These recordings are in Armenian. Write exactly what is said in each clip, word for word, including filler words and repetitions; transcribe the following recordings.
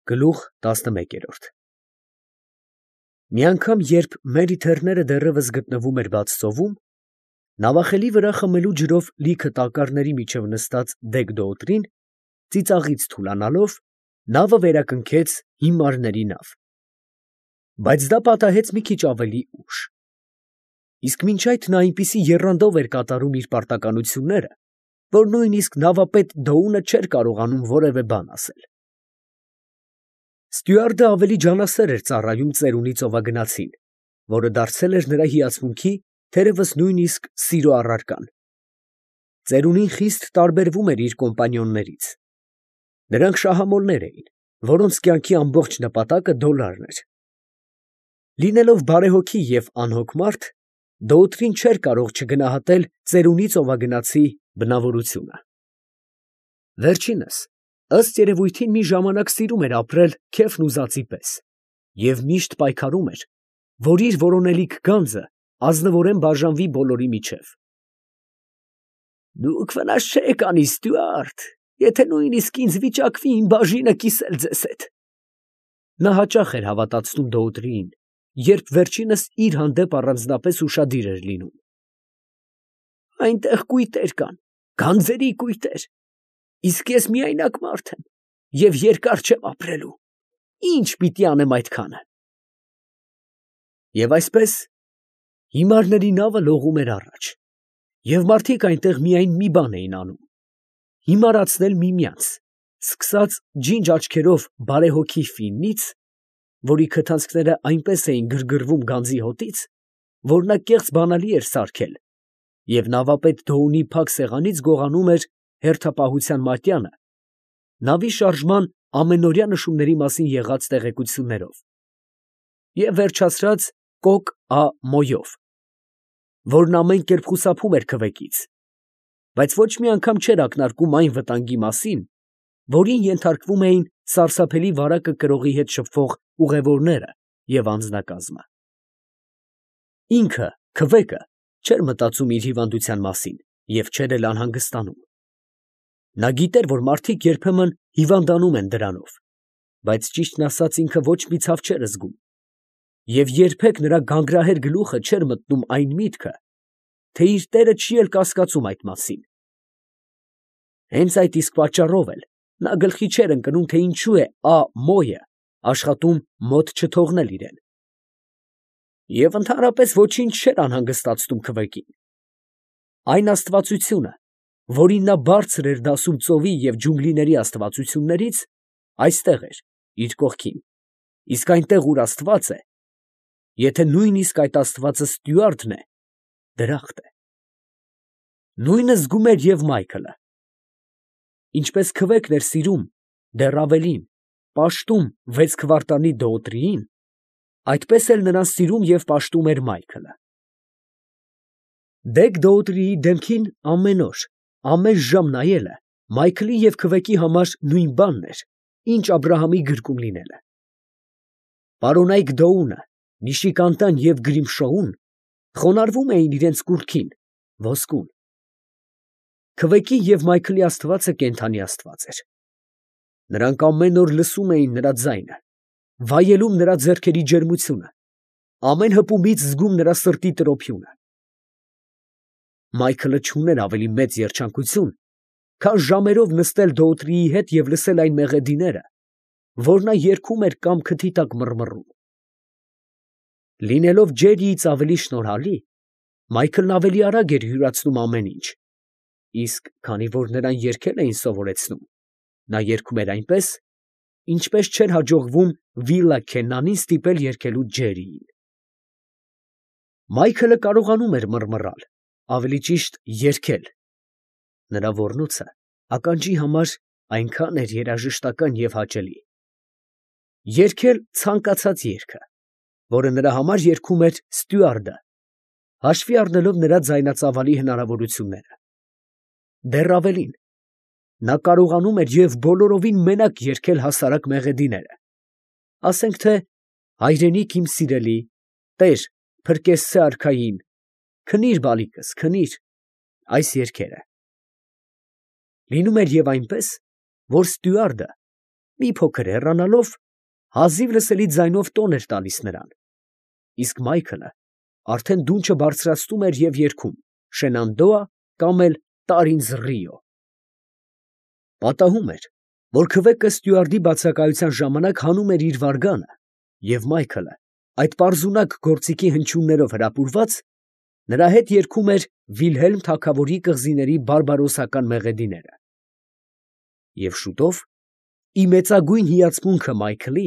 Գլուխ տասնմեկերորդ Մի անգամ, երբ Մերիթեռները դեռևս գտնվում էր բաց ծովում, նավախելի վրա խմելու ջրով լիքը տակառների միջև նստած դեգ֊դոուտրին, ծիծաղից թուլանալով, նավը վերակնքեց հիմարների նավ. բայց դա պատահեց մի քիչ ավելի ուշ. իսկ մինչ այդ նա այնպիսի եռանդով էր կատարում իր պարտականությունները, որ նույնիսկ նավապետ Դոունը չէր կարողանում որևէ բան ասել. Ստյուարտը ավելի ջանասեր էր ծառայում ծերունի ծովագնացին, որը դարձել էր նրա հիացմունքի, թերևս նույնիսկ սիրո առարկան. ծերունին խիստ տարբերվում էր իր կոմպանիոններից. նրանք շահամոլներ էին, որոնց կյանքի ամբողջ նպատակը դոլարն էր. լինելով բարեհոգի և անհոգ մարդ, Դոուտրին չէր կարող չգնահատել ծերունի ծովագնացի բնավորությունը. վերջինս, ըստ երևույթին, մի ժամանակ սիրում էր ապրել քեֆն ուզածի պես և միշտ պայքարում էր, որ իր որոնելիք գանձը ազնվորեն բաժանվի բոլորի միջև։ «Դուք վնաս չեք անի, Ստյուարտ, եթե նույնիսկ ինձ վիճակվի իմ բաժինը կիսել ձեզ հետ», ֊ նա հաճախ էր հավատացնում Դոուտրիին, երբ վերջինս իր հանդեպ առանձնապես ուշադիր էր լինում։ «Այնտեղ կույտեր կան, գանձերի կույտեր, իսկ ես միայնակ մարդ եմ և երկար չեմ ապրելու, ի՞նչ պիտի անեմ այդքանը»։ Եվ այսպես հիմարների նավը լողում էր առաջ, և մարդիկ այնտեղ միայն մի բան էին անում. հիմարացնել միմյանց, սկսած ջինջ աչքերով բարեհոգի Ֆիննից, որի քթանցքները այնպես էին գրգռվում գանձի հոտից, որ նա կեղծ բանալի էր սարքել, և նավապետ Դոունի փակ սեղանից գողանում էր հերթապահության մատյանը, նավի շարժման ամենօրյա նշումների մասին եղած տեղեկություններով, և վերջացրած կոկ Ա. որն ամեն կերպ խուսափում էր քվեկից, բայց ոչ մի անգամ չէր ակնարկում այն վտանգի մասին, որին ենթարկվում էին սարսափելի վարակը կրողի հետ շփվող ուղևորները և անձնակազմը։ Ինքը, քվեկը, չէր մտածում իր հիվանդության մասին և չէր էլ անհանգստանում. նա գիտեր, որ մարդիկ երբեմն հիվանդանում են դրանով, բայց ճիշտն ասած ինքը ոչ մի ցավ չէր զգում, և երբեք նրա գանգրահեր գլուխը չէր մտնում այն միտքը, թե իր տերը չի էլ կասկածում այդ մասին։ Հենց այդ իսկ պատճառով էլ նա գլխի չէր ընկնում, թե ինչու է Ա. աշխատում մոտ չթողնել իրեն։ Եվ ընդհանրապես ոչինչ չէր անհանգստացնում քվեկին. այն աստվածությունը, որին նա բարձր էր դասում ծովի և ջունգլիների աստվածություններից, այստեղ էր իր կողքին, իսկ այնտեղ, ուր Աստված է, եթե նույնիսկ այդ աստվածը Ստյուարտն է, դրախտ է։ Նույնը զգում էր և Մայքլը. ինչպես քվեկն էր սիրում, դեռ ավելին, պաշտում վեց քվարտալի Դոուտրիին, այդպես էլ նրան սիրում և պաշտում էր Մայքլը։ Դեգ֊Դոուտրիի դեմքին ամեն օր, ամեն ժամ նայելը Մայքլի և քվեկի համար նույն բանն էր, ինչ Աբրահամի գրկում լինելը։ Պարոնայք Դոունը, Միշիկանտան և Գրիմշոուն խոնարհվում էին իրենց կուռքին, ոսկուն։ Քվեկի և Մայքլի աստվածը կենդանի աստված էր։ Նրանք ամեն օր լսում էին նրա ձայնը, վայելում նրա ձեռքերի ջերմությունը, ամեն հպումից զգում նրա սրտի տրոփյունը։ Մայքլը չուներ ավելի մեծ երջանկություն, քան ժամերով նստել Դոուտրիի հետ և լսել այն մեղեդիները, որ նա երգում էր կամ քթի տակ մռմռում։ Լինելով Ջերիից ավելի շնորհալի, Մայքլն ավելի արագ էր յուրացնում ամեն ինչ, իսկ քանի որ նրան երգել էին սովորեցնում, նա երգում էր այնպես, ինչպես չէր հաջողվում Վիլլա Քեննանին ստիպել երգելու Ջերիին։ Մայքլը կարողանում էր մռմռալ, ավելի ճիշտ երգել. նրա ոռնոցը ականջի համար այնքան էր երաժշտական և հաճելի։ Երգել ցանկացած երգը, որը նրա համար երգում էր Ստյուարտը, հաշվի առնելով նրա ձայնածավալի հնարավորությունները։ Դեռ ավելին, նա կարողանում էր և բոլորովին մենակ երգել հասարակ մեղեդիները, ասենք թե «Հայրենիք իմ սիրելի, տեր, փրկեցցե արքային, քնի՛ր, բալիկս, քնի՛ր» այս երգերը։ Լինում էր և այնպես, որ Ստյուարտը մի փոքր հեռանալով, հազիվ լսելի ձայնով տոն էր տալիս նրան, իսկ Մայքլը արդեն դունչը բարձրացնում էր և երգում «Շենանդոա» կամ էլ «Տար ինձ Ռիո»։ Պատահում էր, որ քվեկը ստյուարդի բացակայության ժամանակ հանում էր իր վարգանը, և Մայքլը, այդ պարզունակ գործիքի հնչյուններով հրապուրված, նրա հետ երգում էր Վիլհելմ թագավորի կղզիների բարբարոսական մեղեդիները։ Եվ շուտով, ի մեծագույն հիացմունքը Մայքլի,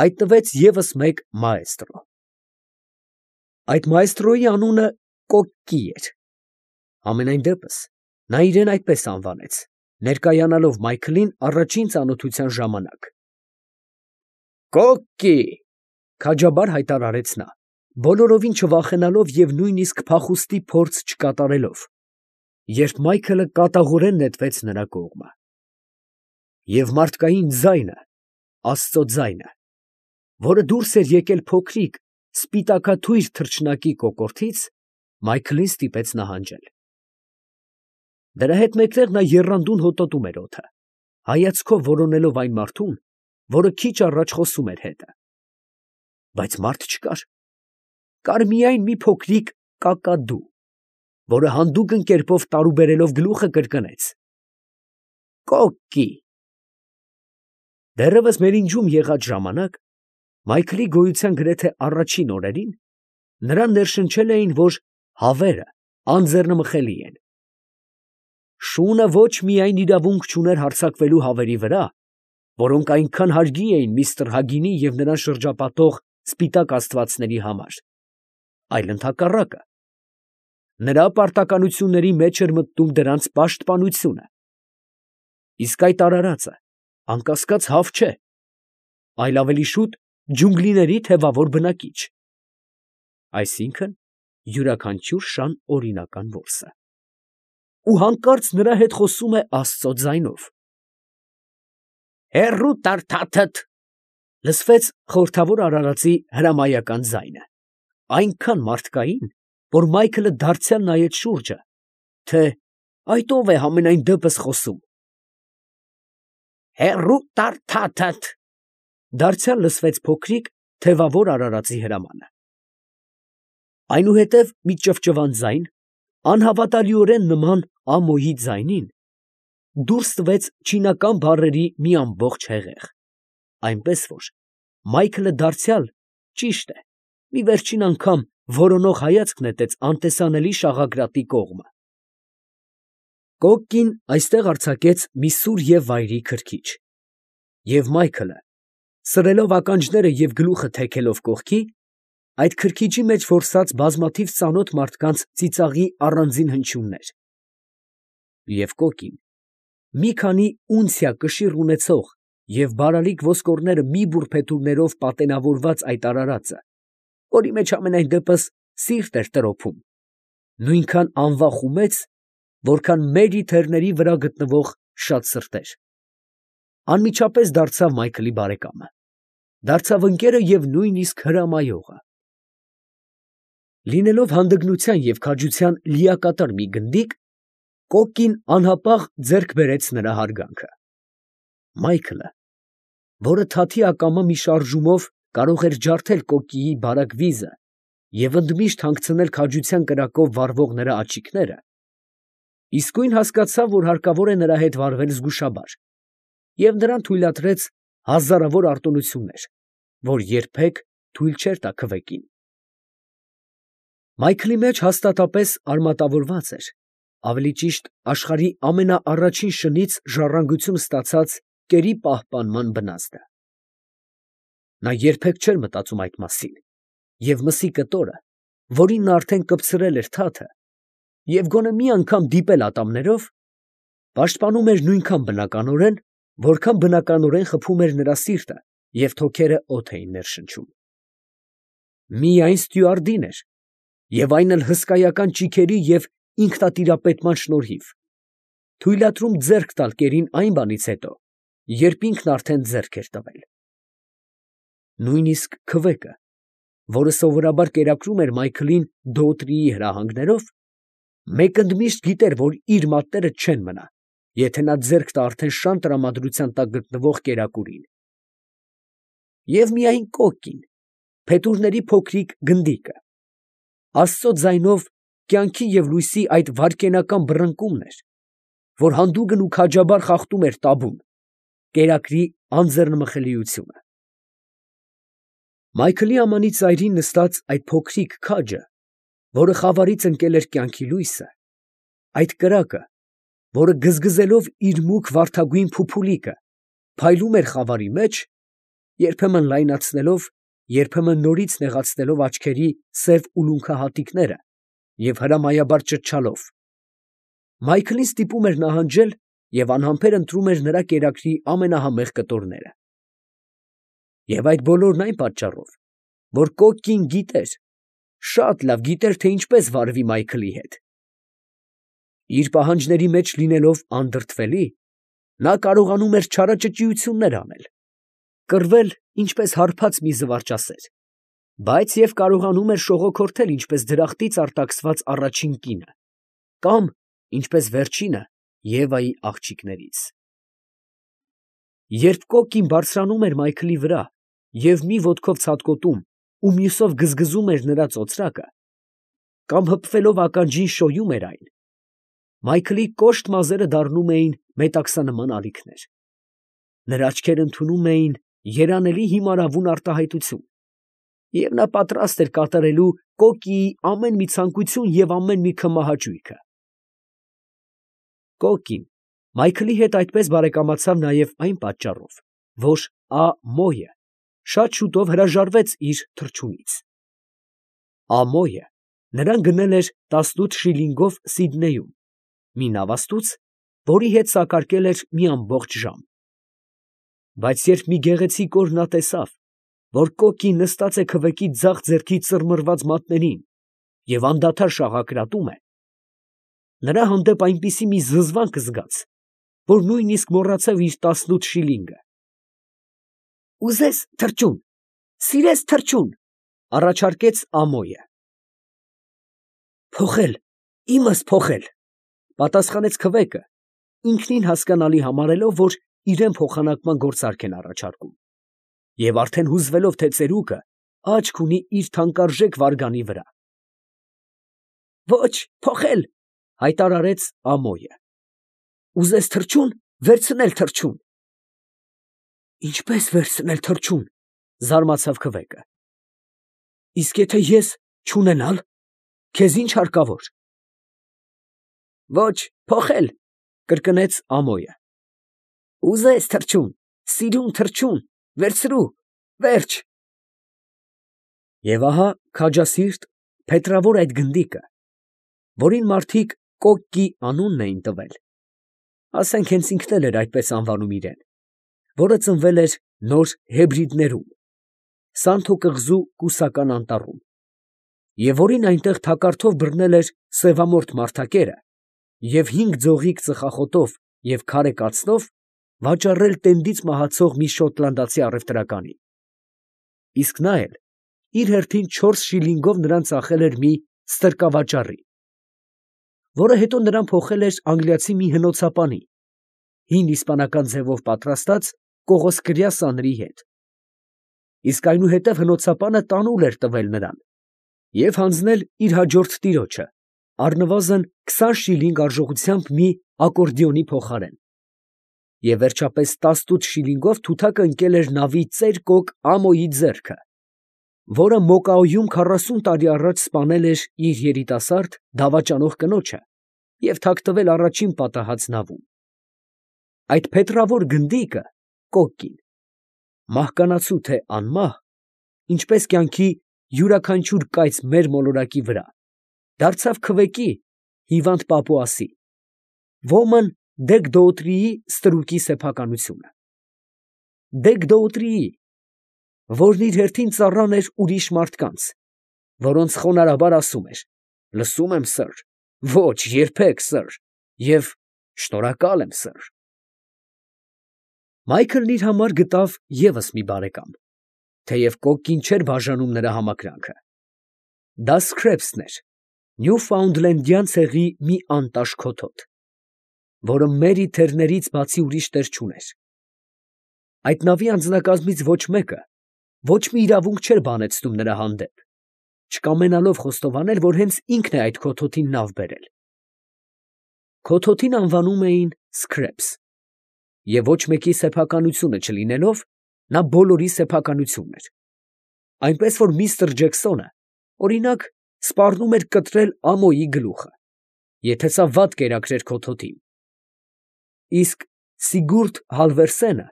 հայտնվեց ևս մեկ մաեստրո։ Այդ մաեստրոյի անունը Կոկկի էր։ Համենայն դեպս, նա իրեն այդպես անվանեց, ներկայանալով Մայքլին առաջին ծանոթության ժամանակ։ «Կոկկի», քաջաբար հայտարարեց նա, բոլորովին չվախենալով և նույնիսկ փախուստի փորձ չկատարելով, երբ Մայքլը կատաղորեն նետվեց նրա կողմը։ Եվ մարդկային ձայնը, աստծո ձայնը, որը դուրս էր եկել փոքրիկ, սպիտակաթույր թռչնակի կոկորդից, Մայքլին ստիպեց նահանջել։ Դրա հետ մեկտեղ նա եռանդուն հոտոտում էր օդը, հայացքով որոնելով այն մարդուն, որը քիչ առաջ խոսում էր հետը։ Բայց մարդ չկար. կար միայն մի փոքրիկ կակադու, որը հանդուգն կերպով տարուբերելով գլուխը կրկնեց. «Կոկկի»։ Դեռևս մերինջում եղած ժամանակ, Մայքլի գոյության գրեթե առաջին օրերին, նրան ներշնչել էին, որ հավերը անձեռնմխելի են։ Շունը ոչ միայն իրավունք չուներ հարձակվելու հավերի վրա, որոնք այնքան հարգի էին միստր Հագինի և նրան շրջապատող սպիտակ աստվածների համար, այլ ընդհակառակը, նրա պարտականությունների մեջ էր մտնում դրանց պաշտպանությունը։ Իսկ այդ արարածը, անկասկած, հավ չէ, այլ ավելի շուտ ջունգլիների թևավոր բնակիչ, այսինքն՝ յուրաքանչյուր շան օրինական որսը։ Ու հանկարծ նրա հետ խոսում է աստծո ձայնով։ «Հեռու տար թաթդ», լսվեց խորհրդավոր արարածի հրամայական ձայնը, այնքան մարդկային, որ Մայքլը դարձյալ նայեց շուրջը, թե այդ ո՞վ է համենայն դեպս խոսում։ «Հեռու տար թաթդ», դարձյալ լսվեց փոքրիկ, թևավոր արարածի հրամանը։ Այնուհետև մի ճվճվան ձայն, անհավատալիորեն նման Ամոյի ձայնին, դուրս տվեց չինական բառերի մի ամբողջ հեղեղ, այնպես որ Մայքլը դարձյալ, ճիշտ է, մի վերջին անգամ որոնող հայացք նետեց անտեսանելի շաղակրատի կողմը։ Կոկկին այստեղ արձակեց մի սուր և վայրի քրքիջ, և Մայքլը, սրելով ականջները և գլուխը թեքելով կողքի, այդ քրքիջի մեջ որսաց բազմաթիվ ծանոթ մարդկանց ծիծաղի առանձին հնչյուններ։ Եվ Կոկկին, մի քանի ունցիա կշիռ ունեցող և բարալիկ ոսկորները մի բուռ փետուրներով պատենավորված այդ արարածը, որի մեջ համենայն դեպս սիրտ էր տրոփում, նույնքան անվախ ու մեծ, որքան Մերի թեռների վրա գտնվող շատ սրտեր, անմիջապես դարձավ Մայքլի բարեկամը, դարձավ ընկերը և նույնիսկ հրամայողը։ Լինելով հանդգնության և քաջության լիակատար մի գնդիկ, Կոկկին անհապաղ ձեռք բերեց նրա հարգանքը։ Մայքլը, որը թաթի ակամա մի շարժումով կարող էր ջարդել Կոկկիի բարակ վիզը և ընդմիշտ հանգցնել քաջության կրակով վառվող նրա աջիկները, իսկույն հասկացավ, որ հարկավոր է նրա հետ վարվել զգուշաբար, և նրան թույլատրեց հազարավոր արտոնություններ, որ երբեք թույլ չէր տա քվեկին։ Մայքլի մեջ հաստատապես արմատավորված էր, ավելի ճիշտ աշխարհի ամենաառաջին շնից ժառանգություն ստացած կերի պահպանման բնազդը։ Նա երբեք չէր մտածում այդ մասին, և մսի կտորը, որին նա արդեն կպցրել էր թաթը, և գոնե մի անգամ դիպել ատամներով, պաշտպանում էր նույնքան բնականորեն, որքան բնականորեն խփում էր նրա սիրտը և թոքերը օդ էին ներշնչում։ Միայն ստյուարդին էր, և այն էլ հսկայական ճիգերի և ինքնատիրապետման շնորհիվ, թույլատրում ձեռք տալ կերին այն բանից հետո, երբ ինքն արդեն ձեռք էր տվել։ Նույնիսկ քվեկը, որը սովորաբար կերակրում էր Մայքլին Դոուտրիի հրահանգներով, մեկ ընդմիշտ գիտեր, որ իր մատները չեն մնա, եթե նա ձեռք տա արդեն շան տրամադրության տակ գտնվող կերակուրին։ Եվ միայն կոկկին, փետուրների փոքրիկ գնդիկը, Աստծո ձայնով կյանքի և լույսի այդ վայրկենական բռնկումն էր, որ հանդուգն ու քաջաբար խախտում էր տաբուն, կերակրի անձեռնմխելիությունը։ Մայքլի ամանի ծայրին նստած այդ փոքրիկ քաջը, որը խավարից ընկել էր կյանքի լույսը, այդ կրակը, որը գզգզելով իր մուգ վարդագույն փուփուլիկը, փայլում էր խավարի մեջ, երբեմն լայնացնելով, երբեմն նորից նեղացնելով աչքերի սև ուլունքահատիկները և հրամայաբար ճչալով, Մայքլին ստիպում էր նահանջել և անհամբեր ընտրում էր նրա կերակրի ամենահամեղ կտորները։ Եվ այդ բոլորն այն պատճառով, որ կոկկին գիտեր, շատ լավ գիտեր, թե ինչպես վարվի Մայքլի հետ։ Իր պահանջների մեջ լինելով անդրդվելի, նա կարողանում էր չարաճճիություններ անել, կռվել ինչպես հարբած մի զվարճասեր, բայց և կարողանում էր շողոքորթել ինչպես դրախտից արտաքսված առաջին կինը, կամ ինչպես վերջինը Եվայի աղջիկներից։ Երբ կոկկին բարձրանում էր Մայքլի վրա և մի ոտքով ցատկոտում ու մյուսով գզգզում էր նրա ծոծրակը, կամ հպվելով ականջին շոյում էր այն, Մայքլի կոշտ մազերը դառնում էին մետաքսանման ալիքներ, նրա աչքերը ընդունում էին երանելի հիմարավուն արտահայտություն, և նա պատրաստ էր կատարելու կոկկիի ամեն մի ցանկություն և ամեն մի քմահաճույքը։ Կոկկին Մայքլի հետ այդպես բարեկամացավ նաև այն պատճառով, որ Ա֊մոյը շատ շուտով հրաժարվեց իր թռչունից։ Ամոյը նրան գնել էր տասնութ շիլինգով Սիդնեյում, մի նավաստուց, որի հետ սակարկել էր մի ամբողջ ժամ։ Բայց երբ մի գեղեցիկ օր նա տեսավ, որ կոկկին նստած է քվեկի ձախ ձեռքի ծռմռված մատներին և անդադար շաղակրատում է, նրա հանդեպ այնպիսի մի զզվանք զգաց, որ նույնիսկ մոռացավ իր տասնութ շիլինգը։ ֊ Ուզե՞ս թռչուն, սիրե՞ս թռչուն, ֊ առաջարկեց Ամոյը։ ֊ Փոխել, իմս փոխել, ֊ պատասխանեց քվեկը, ինքնին հասկանալի համարելով, որ իրան փոխանակման գործարք են առաջարկում, և արդեն հուզվելով, թե ծերուկը աչք ունի իր թանկարժեք վարգանի վրա։ ֊ Ո՛չ, փոխել, ֊ հայտարարեց Ամոյը։ ֊ Ուզես թռչուն, վերցնել թռչուն։ ֊ Ինչպե՞ս վերցնել թռչուն, ֊ զարմացավ քվեկը։ ֊ Իսկ եթե ես չունենալ, քեզ ի՞նչ հարկավոր։ ֊ Ո՛չ, փոխել, ֊ կրկնեց Ամոյը։ ֊ Ուզես թռչուն, սիրուն թռչուն, վերցրու, վերջ։ Եվ ահա քաջասիրտ, փետրավոր այդ գնդիկը, որին մարդիկ կոկկի անունն էին տվել, ասենք հենց ինքն էլ էր այդպես անվանում իրան, որը ծնվել էր Նոր Հեբրիդներում, Սանթո կղզու կուսական անտառում, և որին այնտեղ թակարդով բռնել էր սևամորթ մարդակերը և հինգ ձողիկ ծխախոտով և քարե կացնով վաճառել տենդից մահացող մի շոտլանդացի առևտրականին, իսկ նա էլ իր հերթին չորս շիլինգով նրան ծախել էր մի ստրկավաճառի, որը հետո նրան փոխել էր անգլիացի մի հնոցապանի, հին իսպանական ձևով պատրաստած կողոսկրյա սաների հետ, իսկ այնուհետև հնոցապանը տանուլ էր տվել նրան և հանձնել իր հաջորդ տիրոջը առնվազն քսան շիլինգ արժողությամբ մի ակորդեոնի փոխարեն, և վերջապես տասնութ շիլինգով թութակը ընկել էր նավի ծեր֊կոկ Ամոյի ձեռքը, որը Մոկաոյում քառասուն տարի առաջ սպանել էր իր երիտասարդ, դավաճանող կնոջը և թաքնվել առաջին պատահած նավում։ Այդ փետրավոր գնդիկը կոկկին, մահկանացու թե անմահ, ինչպես կյանքի յուրաքանչյուր կայծ մեր մոլորակի վրա, դարձավ քվեկի հիվանդ պապուասի, ոմն Դեգ֊Դոուտրիի ստրուկի սեփականությունը։ Դեգ֊Դոուտրիի, որն իր հերթին ծառան էր ուրիշ մարդկանց, որոնց խոնարհաբար ասում էր. «Լսում եմ, սըր», «Ո՛չ, երբեք, սըր» և «Շնորհակալ եմ, սըր»։ Մայքլն իր համար գտավ ևս մի բարեկամ, թեև կոկկին չէր բաժանում նրա համակրանքը. դա Սքրեփսն էր, Նյուֆաունդլենդյան ցեղի մի անտաշ քոթոտ։ որը Մերի թեռներից բացի ուրիշ տեր չուներ։ Այդ նավի անձնակազմից ոչ մեկը ոչ մի իրավունք չէր բանեցնում նրա հանդեպ, չկամենալով խոստովանել, որ հենց ինքն է այդ քոթոթին նավ բերել։ Քոթոթին անվանում էին Scraps, և ոչ մեկի սեփականությունը չլինելով, նա բոլորի սեփականությունն էր, այնպես որ միստր Ջեքսոնը, օրինակ, սպառնում էր կտրել Ամոյի գլուխը, եթե սա վատ կերակրեր քոթոթին, իսկ Սիգուրդ Հալվերսենը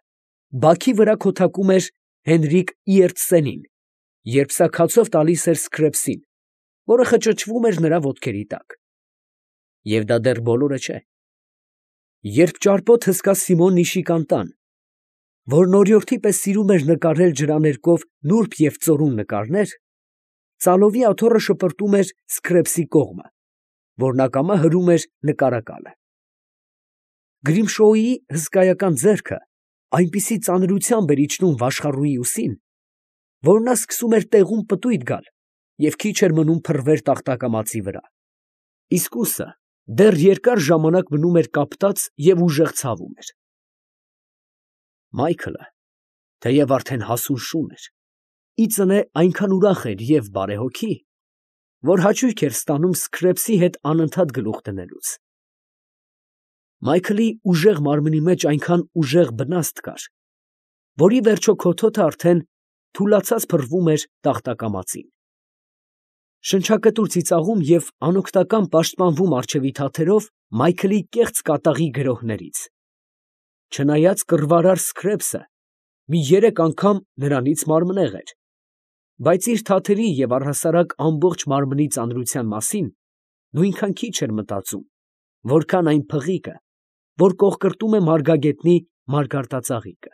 բաքի վրա քոթակում էր Հենրիկ Իերտսենին, երբ սա քացով տալիս էր Սքրեպսին, որը խճճվում էր նրա ոտքերի տակ։ Եվ դա դեռ բոլորը չէ. երբ ճարպոտ հսկա Սիմոն Նիշիկանտան, որն օրիորդի պես սիրում էր նկարել ջրաներկով նուրբ և ծորուն նկարներ, ծալովի աթոռը շպրտում էր Սքրեպսի կողմը, որն ակամա հրում էր նկարակալը։ Գրիմշոուի հսկայական ձեռքը այնպիսի ծանրությամբ էր իջնում վաշխառուի ուսին, որ նա սկսում էր տեղում պտույտ գալ և քիչ էր մնում փռվեր տախտակամածի վրա, իսկ ուսը դեռ երկար ժամանակ մնում էր կապտած և ուժեղ ցավում էր։ Մայքլը, թեև արդեն հասուն շուն էր, ի ծնե այնքան ուրախ էր և բարեհոգի, որ հաճույք էր ստանում Սքրեպսի հետ անընդհատ գլուխ դնելուց։ Մայքլի ուժեղ մարմնի մեջ այնքան ուժեղ բնաստ կար, որ ի վերջո քոթոթը արդեն թուլացած փռվում էր տախտակամածին։ Շնչակտուր ծիծաղում և անօգնական պաշտպանվում առջևի թաթերով Մայքլի կեղծ կատաղի գրոհներից, չնայած կռվարար Սքրեպսը մի երեք անգամ նրանից մարմնեղ էր, բայց իր թաթերի և առհասարակ ամբողջ մարմնի ծանրության մասին նույնքան քիչ էր մտածում, որքան այն փղիկը, որ կոխկրտում է մարգագետնի մարգարտածաղիկը։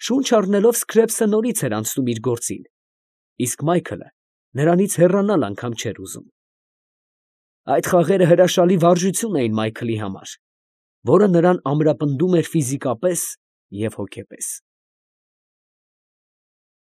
Շունչ առնելով Սքրեպսը նորից էր անցնում իր գործին, իսկ Մայքլը նրանից հեռանալ անգամ չէր ուզում։ Այդ խաղերը հրաշալի վարժություն էին Մայքլի համար, որը նրան ամրապնդում էր ֆիզիկապես և հոգեպես։